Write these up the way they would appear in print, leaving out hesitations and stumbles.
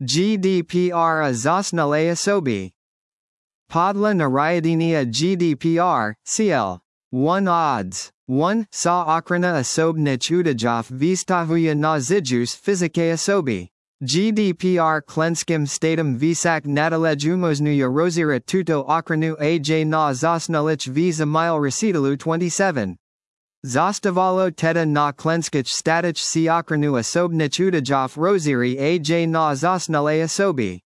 GDPR a zasnale osoby. Podla Narayadiniya GDPR, CL. 1 odds. 1. Sa ochrana osobnych utajów wystavuja na zijus fizike osoby. GDPR klenskim statem visak nadalej umoznuja rozira tuto ochranu aj na zasnalich visa mile recitalu 27. Zastavalo teda na klenskich statich si ochranu osobnych utajów roziri aj na zasnale osoby.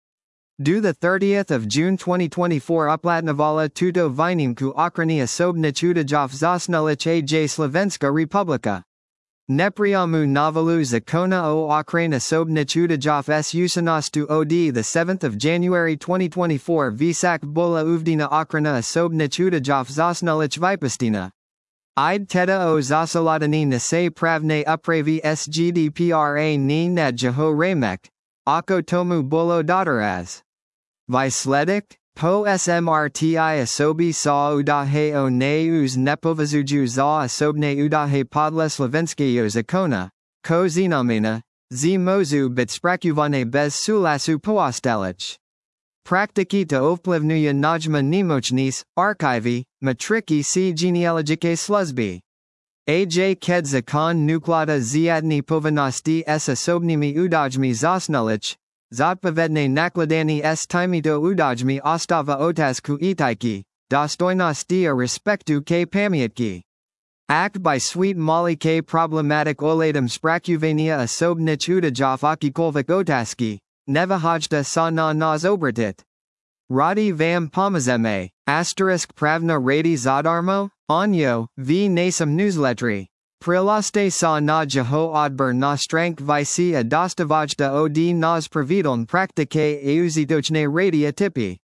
Do the 30th of June 2024 uplatnovala tuto vinimku ochrani osobnych utajów zasnalich aj Slovenska Republika. Nepriamu novalu zakona o ochrane osobnych utajów s usanastu od the 7th of January 2024 visak bola uvdina ochrana osobnych utajów zasnalich vypustina. Ide teda o zasaladani nase pravne upravi s GDPRA ni na jeho remek, ako tomu bolo doteraz. Vysledek, po smrti osoby sa udahe o neuz nepovažuju za osobne udahe podle slovenského zákona, ko znamená, z mozu být spracované bez súhlasu poostalič. Praktiky to ovplyvňuje najma nemocnic, archivy, matriky si genealogické služby. Aj keď zákon nuklada žiadne povinnosti s osobnými údajmi zasnalich, zodpovedné nakladanie s týmito údajmi ostáva otázku etiky, dostojnosti a respektu ke pamätky. Ak by sweet mali ke problematic ohľadom spracovania osobných údajov akýkoľvek otázky, nevyhoďte sa na nás obratit. Radi vám pomôžeme, pravna rady zadarmo, onyo, v našom newsletteri. Prilaste sa na jeho odber na stránk visi a dostavačta od nás pravideln praktike a užitočné rady a tipy.